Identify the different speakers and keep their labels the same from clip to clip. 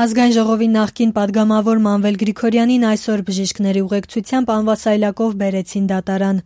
Speaker 1: Ազգային ժողովի նախկին պատգամավոր Մանվել Գրիգորյանին այսօր բժիշկների ուղեկցությամբ անվասայլակով բերեցին դատարան։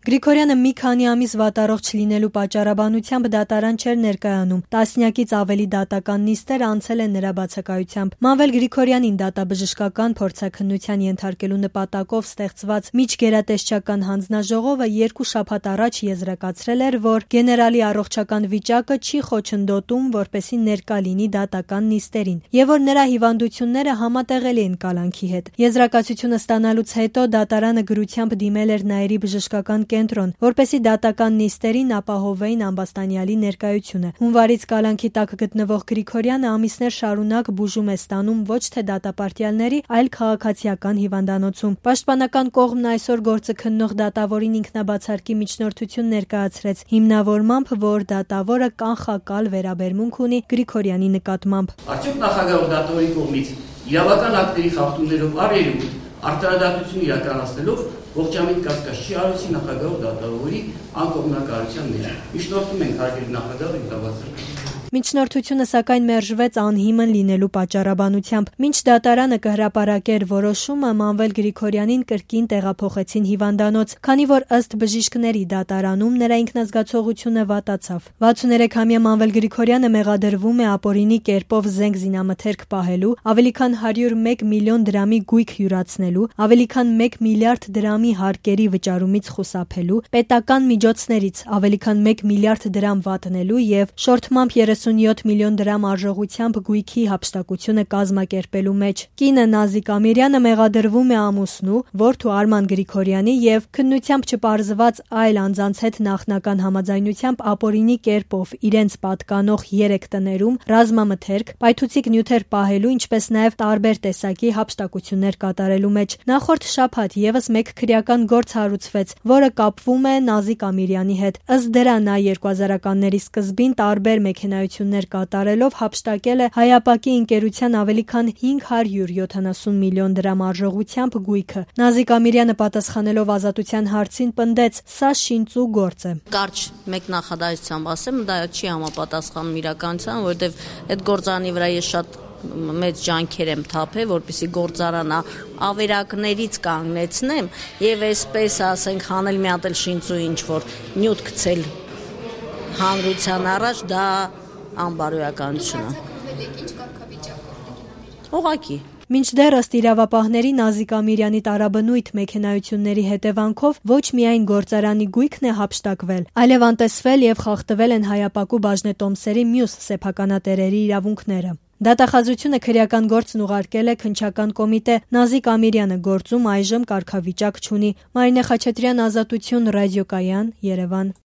Speaker 1: Գրիգորյանը մի քանի ամիս վատառողջ լինելու պատճառաբանությամբ դատարան չէր ներկայանում։ Տասնյակից ավելի դատական նիստեր անցել են նրա բացակայությամբ։ Մանվել Գրիգորյանին դատաբժշկական փորձաքննության ենթարկելու նպատակով ստեղծված միջգերատեսչական հանձնաժողովը 2 շաբաթ առաջ եզրակացրել էր, որ գեներալի առողջական վիճակը չի խոչընդոտում, որպեսզի ներկա լինի դատական նիստերին, եւ որ նրա հիվանդությունները համատեղելի են կալանքի հետ։ Եզրակացությունը ստանալուց հետո դատարանը գրությամբ դիմել էր Նաիրի բժշկական կենտրոն, որպեսզի դատական նիստերին ապահովեին ամբաստանյալի ներկայությունը։ Հունվարից կալանքի տակ գտնվող Գրիգորյանը ամիսներ շարունակ բուժում է ստանում ոչ թե դատապարտյալների, այլ քաղաքացիական հիվանդանոցում։ Պաշտպանական կողմն այսօր գործը քննող դատավորին ինքնաբացարկի միջնորդություն ներկայացրեց, հիմնավորմամբ, որ դատավորը կանխակալ վերաբերմունք ունի Գրիգորյանի նկատմամբ։
Speaker 2: Արդյոք նախագահ դատավորի կողմից իրավական ակտերի խախտումներով առերում արտարադատություն իրականացնելով ողջամիտ կասկած չի արեցի նախագահ դատավորի անկողմնակարության մեջ։ Միջնորդում ենք հարգելի նախագահը ինքնաբացարկել։
Speaker 1: Միջնորդությունը սակայն մերժվեց անհիմն լինելու պատճառաբանությամբ։ Մինչ դատարանը կհրապարակեր որոշումը, Մանվել Գրիգորյանին կրկին տեղափոխեցին հիվանդանոց, քանի որ ըստ բժիշկների դատարանում նրա ինքնազգացողությունը վատացավ։ 63-ամյա Մանվել Գրիգորյանը մեղադրվում է ապօրինի կերպով զենք զինամթերք պահելու, ավելի քան 101 միլիոն դրամի գույք յուրացնելու, ավելի քան 1 միլիարդ դրամի հարկերի վճարումից խուսափելու, պետական միջոցներից ավելի քան 1 միլիարդ դրամ վատնելու եւ շորթմամբ 37 միլիոն դրամ արժողությամբ գույքի հափշտակությունը կազմակերպելու մեջ։ Կինը Նազիկ Ամիրյանը մեղադրվում է ամուսնու, որդու Արման Գրիգորյանի եւ քննությամբ չպարզված այլ անձանց հետ նախնական համաձայնությամբ ապօրինի կերպով իրենց պատկանող 3 տներում ռազմամթերք, պայթուցիկ նյութեր պահելու, ինչպես նաեւ տարբեր տեսակի հափշտակություններ կատարելու մեջ։ Նախորդ շաբաթ եւս մեկ քրեական գործ հարուցվեց, որը կապվում է Նազիկ Ամիրյանի հետ։ Ըստ դրա նա 2000-ականների սկզբին տարբեր մեքենայություններ կատարելով հափշտակել է Հայապակի ընկերության ավելի քան 570 միլիոն դրամ արժողությամբ գույքը։ Նազիկ Ամիրյանը պատասխանելով Ազատության հարցին պնդեց՝ սա շինծու գործ է։
Speaker 3: Կարճ մեկ նախադասությամբ ասեմ, դա չի համապատասխանում իրականությանը, որովհետև այդ գործարանի վրա ես շատ մեծ ջանքեր եմ թափել, որպեսզի գործարանը ավերակներից կանգնեցնեմ եւ այսպես ասենք հանել մի հատ էլ շինծու ինչ որ նյութ գցել հանրության առաջ, դա անբարոյականություն է։ Ուղղակի
Speaker 1: Մինչդեռ ըստ իրավապահների Նազիկ Ամիրյանի տարաբնույթ մեքենայությունների հետևանքով ոչ միայն գործարանի գույքն է հափշտակվել, այլև անտեսվել եւ խախտվել են Հայապակու բաժնետոմսերի մյուս սեփականատերերի իրավունքները։ Դատախազությունը քրեական գործն ուղարկել է քննչական կոմիտե։ Նազիկ Ամիրյանը գործում այժմ կարգավիճակ չունի։ Մարինե Խաչատրյան, Ազատություն, ռադիոկայան, Երևան։